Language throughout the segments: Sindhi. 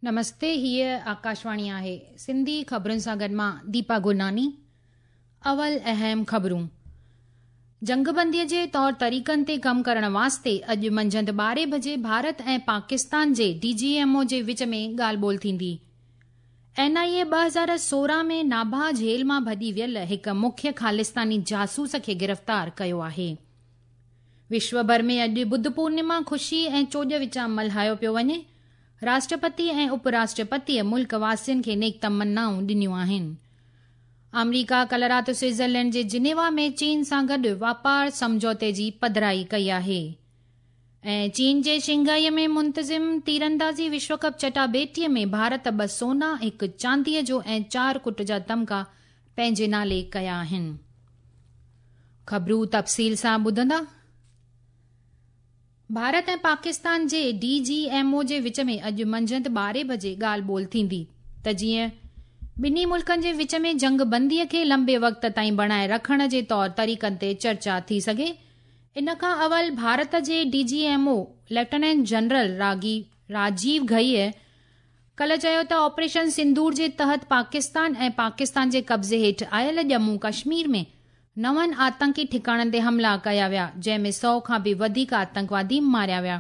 نمستي هيء آڪاشواڻي آهي سنڌي خبرن سان گڏ مان ديپا گرناني اول اهم خبرون جنگبندي جي طور طريقن تي ڪم ڪرڻ واسطي اڄ منجهند ٻارهين بجي ڀارت ۽ پاڪستان جي ڊي جي ايم او جي وچ ۾ ڳالهه ٻولهه ٿيندي. اين آء اي 2016 ۾ ناڀا جيل مان ڀڄي ويل هڪ مکيه خالصتاني جاسوس کي گرفتار ڪيو آهي. وشو ڀر ۾ اڄ ٻڌ پورنما خوشي ۽ چوڄ وچان ملهايو پيو وڃي. راشٽرپتي ۽ اپ راشٽرپتيء ملڪ واسين کي نيڪ تمنائون ڏنيون آهن. آمريڪا ڪلهه رات سوئٽزرلينڊ جي جنيوا ۾ چين سان گڏ واپار سمجهوتي جي پڌرائي ڪئي آهي ۽ چين جي شنگهائي ۾ منتظم تيراندازي وشو ڪپ چٽاڀيٽي ۾ ڀارت ٻه سونا، هڪ چانديء جو ۽ چار ڪٽ جا تمغا پنهنجي نالي ڪيا آهن. خبرون تفصيل سان ٻڌندا. ڀارت ۽ پاڪستان جي ڊي جي ايم او جي وچ ۾ اڄ منجهند ٻارهين بجي ڳالهه ٻولهه ٿيندي ته جيئن ٻنهي ملڪن جي وچ ۾ جنگ بندي کي لنبي وقت تائين بڻائي رکڻ جي طور طريقن تي چرچا ٿي سگهي. ان کان اول ڀارت جي D G M O lieutenant general ragi Rajiv Ghai ڪلهه چيو ته آپريشن سندور جي تحت پاڪستان ۽ پاڪستان جي قبضي هيٺ آيل ڄمون ڪشمير ۾ نون آتنڪي ٺڪاڻن تي حملا ڪيا ويا، جنهن ۾ سئو کان به وڌيڪ آتنڪوادي ماريا ويا.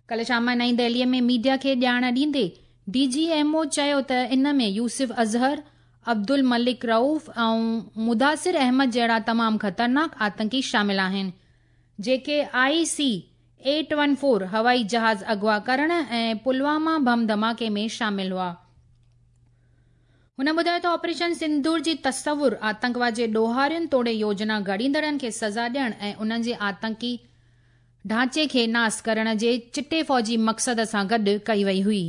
ڪلهه شام نئين دهليء ۾ ميڊيا کي ڄاڻ ڏيندي ڊي جي ايم او چيو ته ان ۾ يوسف اظهر، عبدالملڪ رئوف ۽ مداثر احمد جهڙا تمام خطرناڪ آتنڪي شامل آهن، جيڪي I C eight one four هوائي جهاز اغوا ڪرڻ ۽ پلواما بم ڌماڪي ۾ شامل هئا. هن ٻڌايو ته آپريشن سندور جي تصور آتنڪواد جي ڏوهارين توڙي يوجنا گهڙيندڙن کي سزا ڏيڻ ۽ انهن جي آتنڪي ڍانچي کي ناس ڪرڻ جي چٽي فوجي مقصد سان گڏ ڪئي وئي هئي.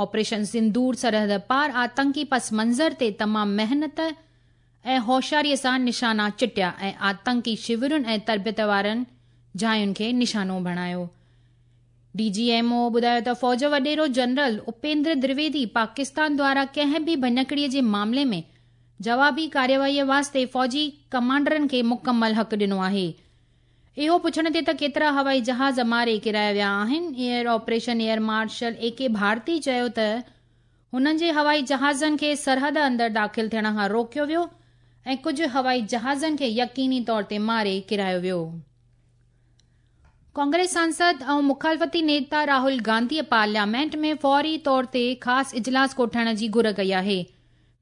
آپريشن سندور سرحد پار آتنڪي پس منظر تي تمام محنت ۽ هوشياري سان نشانا چٽيا ۽ آتنڪي شورن ۽ تربيت وارن جاين کي نشانو بڻايو. ڊي جي ايم او ٻڌايو ته فوج وڏيرو جنرل اپيندر درويدي پاڪستان دواران ڪنهن به ڀڃڪڙي جي معاملي ۾ جوابي ڪارروائي واسطي فوجي ڪمانڊرن کي مڪمل حق ڏنو آهي. اهو پڇڻ تي ته ڪيترا هوائي جهاز ماري ڪيرايا ويا آهن، air operation air marshal A K Bharti چيو ته هنن جي هوائي جهازن کي سرحد اندر داخل ٿيڻ کان روڪيو ويو ۽ ڪجهه هوائي جهازن کي يقيني طور تي ماري ڪيرايو ويو. ڪانگريس سانسد ۽ مخالفتي نيتا راهول گانڌيء پارليامينٽ ۾ فوري طور تي خاص اجلاس ڪوٺائڻ جي گهر ڪئي آهي.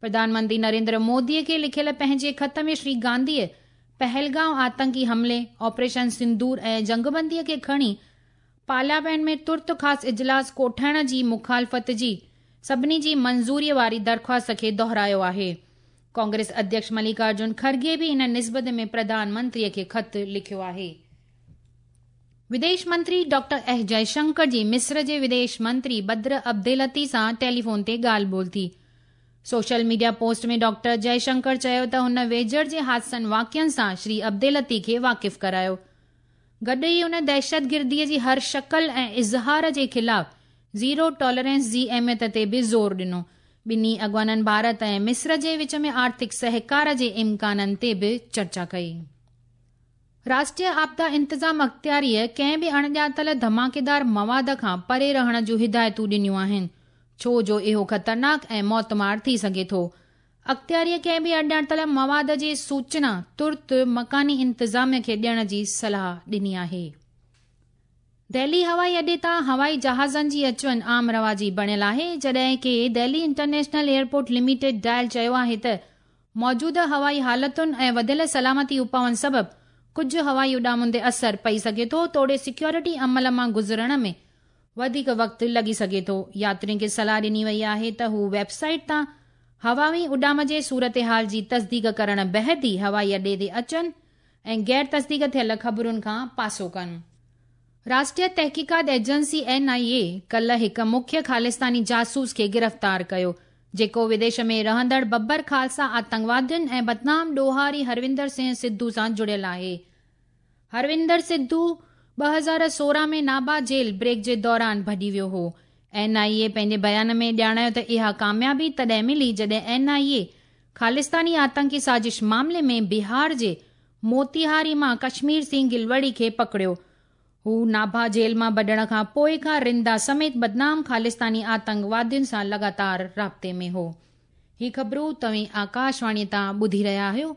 پرڌان منتري نريندر موديء کي لکيل پنهنجي خط ۾ شري گانڌيء پهلگائون آتنڪي حملي، آپريشن سندور ۽ جنگبنديء کي کڻي پارليامينٽ ۾ ترت خاص اجلاس ڪوٺائڻ جي مخالفت جي سڀني جي منظوريء واري درخواست کي دهرايو آهي. ڪانگريس اڌيڪش مليڪارجن کرگي به ان نسبت ۾ پرڌان منتري کي خط لکيو آهي. وديش منتري ڊاڪٽر ايس جئشنڪر جي مصر جي وديش منتري بدر عبدالعطي سان ٽيليفون تي ڳالهه ٻولهه ٿي. سوشل ميڊيا پوسٽ ۾ ڊاڪٽر جئشنڪر چيو ته هن ويجهڙ جي حادثن واقعن سان شري عبدالعطي کي واقف ڪرايو. گڏ ئي ان دهشتگردي جي هر شڪل ۽ اظهار جي خلاف زيرو ٽالرنس جي اهميت تي به زور ڏنو. ٻنهي اڳواڻن ڀارت ۽ مصر جي وچ ۾ آرٿڪ سهڪار جي امڪانن تي به چرچا ڪئي. راشٽريه آپدا انتظام اختياريء ڪنهن به اڻڄاتل ڌماڪيدار مواد کان پري رهڻ جون هدايتون ڏنيون آهن، ڇو جو اهو خطرناڪ ۽ موتمار ٿي سگهي ٿو. اختياريء ڪنهن به اڻڄاتل مواد جي سوچنا ترت مڪاني انتظاميه کي ڏيڻ جي صلاح ڏني آهي. دهلي هوائي اڏي تان هوائي جهازن جي اچ وڃ عام رواجي بڻيل آهي، جڏهن ڪي Delhi international airport limited DIAL چيو آهي ته موجوده هوائي حالتن ۽ وڌيل سلامتي اپائن سبب ڪجهه هوائي اڏامن تي اثر پئي سگهي ٿو توڙي سيڪيورٽي عمل مان گذرڻ ۾ وڌيڪ وقت لڳي سگهي ٿو. ياترين کي صلاح ڏني وئي آهي ته هو ويب سائيٽ تان هوائي اڏام جي صورتحال جي تصديق ڪرڻ بعد ئي هوائي اڏي تي اچن ۽ غير تصديق ٿيل خبرن کان پاسو ڪن. راشٽريه تحقيقات ايجنسي، اين آء اي، ڪلهه هڪ مکيه خالصتاني جاسوس کي گرفتار ڪيو، جيڪو وديش ۾ رهندڙ ببر خالصا آتنڪوادين ۽ بدنام ڏوهاري هروندر سنگهه سڌو سان جڙيل آهي. هروندر سڌو 2016 ۾ نابا جيل بريڪ جي دوران ڀڄي ويو هو. اين آء اي پنهنجي بيان ۾ ڄاڻايو ته اها ڪاميابي تڏهن ملي جڏهن اين آء اي خالصتاني آتنڪي سازش معاملي ۾ بهار جي موتيهاري مان ڪشمير سنگهه گلوڙي کي پڪڙيو. هو ناڀا جيل مان ڀڄڻ کان پوءِ کان رندا سميت بدنام خالستاني آتنڪوادين سان لڳاتار رابطي ۾ هو. هي خبرون توهين آڪاشواڻي تان ٻڌي رهيا آهيو.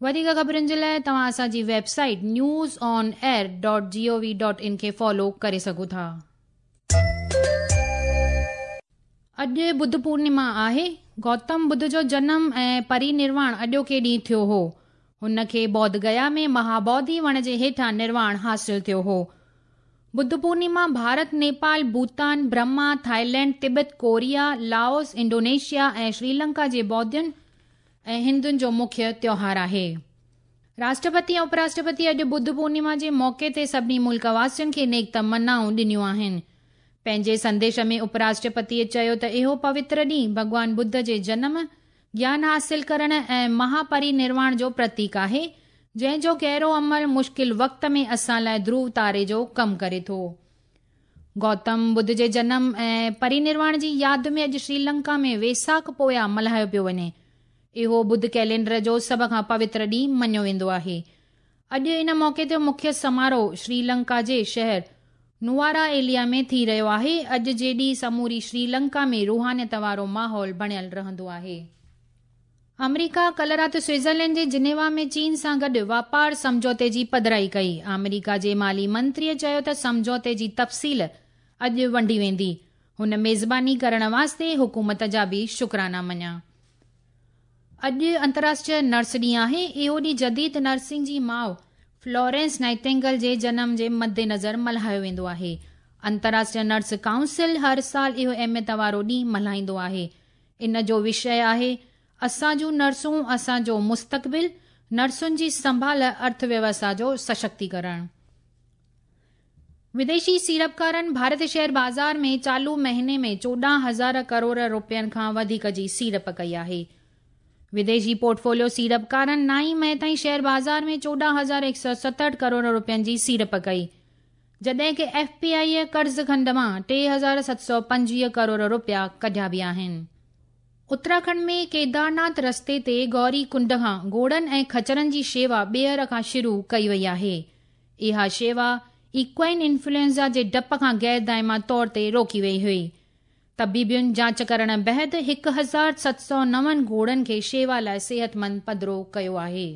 وڌيڪ خبرن جي لاءِ توهان اسان جي website news on air dot G O V dot in کي فالو ڪري سگهو ٿا. اڄ ٻڌ پورنما آهي. گوتم ٻڌ جو جنم ۽ پرينرواڻ اڄوڪي ڏينهن ٿيو هو. هن کي بوڌ گيا ۾ مهابوڌي وڻ جي هيٺان نرواڻ حاصل ٿيو هو. Buddha Purnima Bharat, Nepal, Bhutan, Burma, Thailand, Tibet, Korea, Laos, Indonesia ۽ Sri Lanka جي ٻوڌين ۽ هندن جو مکيه تيوهار آهي. راشٽرپتي ۽ اپراشٽرپتي اڄ ٻڌ پورنما جي موقعي تي سڀني ملڪ واسين کي نيڪ تمنائون ڏنيون آهن. پنهنجي سنديش ۾ اپراشٽرپتيء چيو ته اهو پوتر ڏينهن ڀڳوان ٻڌ جي جنم، گيان حاصل ڪرڻ ۽ مهاپرينرواڻ جو پرتيڪ آهي، جنهن جو گهرو عمل مشڪل وقت ۾ اسان لاء ڌرو تاري جو ڪم ڪري ٿو. گوتم ٻڌ جي جنم ۽ پرينرواڻ جي ياد ۾ اڄ سريلنڪا ۾ ويساڪ پويا ملهايو پيو وڃي. اهو ٻڌ ڪئلينڊر جو سڀ کان پوتر ڏينهن مڃيو ويندو آهي. اڄ ان موقعي تي مکيه سماروهه سريلنڪا جي شهر نوارا ايليا ۾ ٿي رهيو آهي. اڄ جي ڏينهن سموري سريلنڪا ۾ روحانيت وارو ماحول بڻيل رهندو آهي. آمريڪا ڪلهه رات سوئٽزرلينڊ جي جنيوا ۾ چين سان گڏ واپار سمجهوتي جي پڌرائي ڪئي. آمريڪا جي مالي منتريء چيو ته سمجهوتي جي تفصيل اڄ ونڊي ويندي. هن ميزباني ڪرڻ واسطي حڪومت جا به شڪرانا مڃيا. اڄ انترراشٽريه نرس ڏينهن آهي. اهو ڏينهن جديد نرسنگ جي ماء فلورينس نائٽنگل جي جنم جي مدنظر ملهايو ويندو آهي. انترراشٽريه نرس ڪائونسل هر سال اهو اهميت وارو ڏينهن ملهائيندو آهي. ان جو وشيه آهي، اسان جون نرسون اسان جو مستقبل، نرسن جي سنڀال ارٿ ويوسٿا جو سشڪتيڪرڻ. وديشي سيڙپڪارن ڀارتي شيئر بازار ۾ چالو مهيني ۾ 14 هزار ڪروڙ رپين کان وڌيڪ جي سيڙپ ڪئي آهي. وديشي پورٽفوليو سيڙپڪارن 9 مئي تائين شيئر بازار ۾ 14,167 ڪروڙ رپين جي سيڙپ ڪئي، جڏهن ڪه ايف پي آء قرض کنڊ مان 3725 ڪروڙ رپيا ڪڍيا به آهن. اتراکنڊ ۾ ڪيدارناٿ رستي تي گوري ڪنڊ کان گهوڙن ۽ خچرن جي شيوا ٻيهر کان شروع ڪئي وئي آهي. اها شيوا ايڪوائن انفلوئنزا جي ڊپ کان غير دائمي طور تي روڪي وئي هئي. طبيبن جاچ ڪرڻ بعد 1709 گهوڙن کي شيوا لاءِ صحتمند پڌرو ڪيو آهي.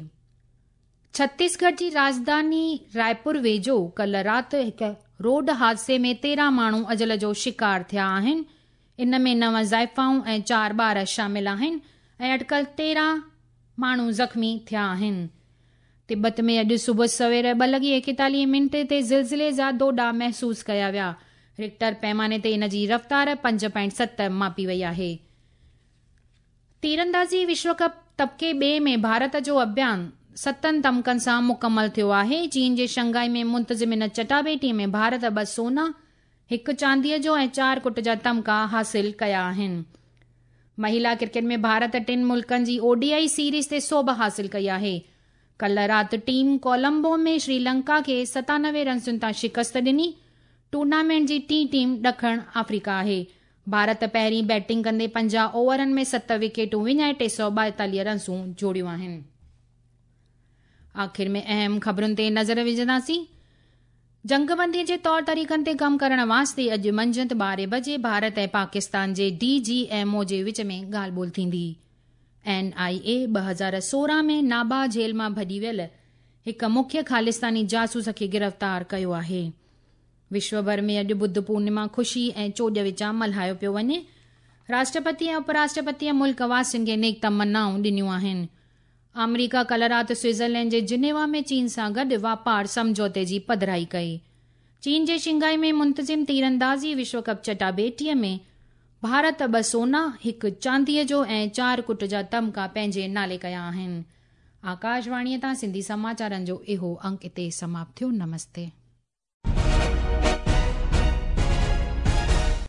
ڇتيسڳڙهه جي راڄڌاني رائپور ويجهو ڪلهه رات هڪ روڊ حادثي ۾ 13 ماڻهو اجل جو شڪار ٿيا آهن. ان ۾ 9 زائفائون ۽ 4 ٻار شامل آهن ۽ اٽڪل 13 ماڻهو زخمي ٿيا آهن. تبت ۾ اڄ صبح سوير 2:41 تي زلزلي جا ڌوڏا محسوس ڪيا ويا. رڪٽر پيماني تي ان جي رفتار 5.7 ماپي وئي آهي. تيراندازي وشو ڪپ طبقي ٻئي ۾ ڀارت جو اڀيان 7 تمڪن سان مڪمل ٿيو آهي. چين جي شنگهائي ۾ منتظم ان چٽاڀيٽي ۾ ڀارت 2 سونا، 1 چانديءَ جو ۽ 4 ڪٽ جا تمڪا حاصل ڪيا آهن. مهلا ڪرڪيٽ ۾ ڀارت 3 ملڪن جي او ڊي I series تي سوڀ حاصل ڪئي آهي. ڪلهه رات ٽيم ڪولمبو ۾ سريلنڪا کي 97 رنسن تان شڪست ڏني. ٽورنامينٽ جي ٽين ٽيم ڏکڻ آفريڪا آهي. ڀارت پهرين بيٽنگ ڪندي 50 اوورن ۾ 7 وڪيٽون وڃائي 342 رنسون جوڙيون آهن. آخر ۾ اهم خبرن تي نظر وجهنداسين. جنگبندي جي طور طريقن تي ڪم ڪرڻ واسطي اڄ منجهند 12 بجي ڀارت ۽ پاڪستان جي ڊي جي ايم او جي وچ ۾ ڳالهه ٻولهه ٿيندي. اين آء اي 2016 ۾ نابا جيل مان ڀڄي ويل هڪ مکيه خالستاني جاسوس کي گرفتار ڪيو آهي. وشو ڀر ۾ اڄ ٻڌ پورنما خوشي ۽ چوڄ وچان ملهايو پيو وڃي. راشٽرپتي ۽ اپراشٽرپتيء ملڪ واسين کي نيڪ تمنائون ڏنيون آهن. آمريڪا ڪلهه رات سوئٽزرلينڊ جي جنيوا ۾ چين سان گڏ واپار سمجهوتي جي پڌرائي ڪئي. چين جي شنگهائي ۾ منتظم تيراندازي وشو ڪپ چٽاڀيٽيءَ ۾ ڀارت 2 سونا، 1 چانديءَ جو ۽ 4 ڪٽ جا تمڪا پنهنجي نالي ڪيا آهن. آڪاشواڻيءَ تان سنڌي سماچارن جو اهو انڪ هتي سماپت ٿيو. نمستي.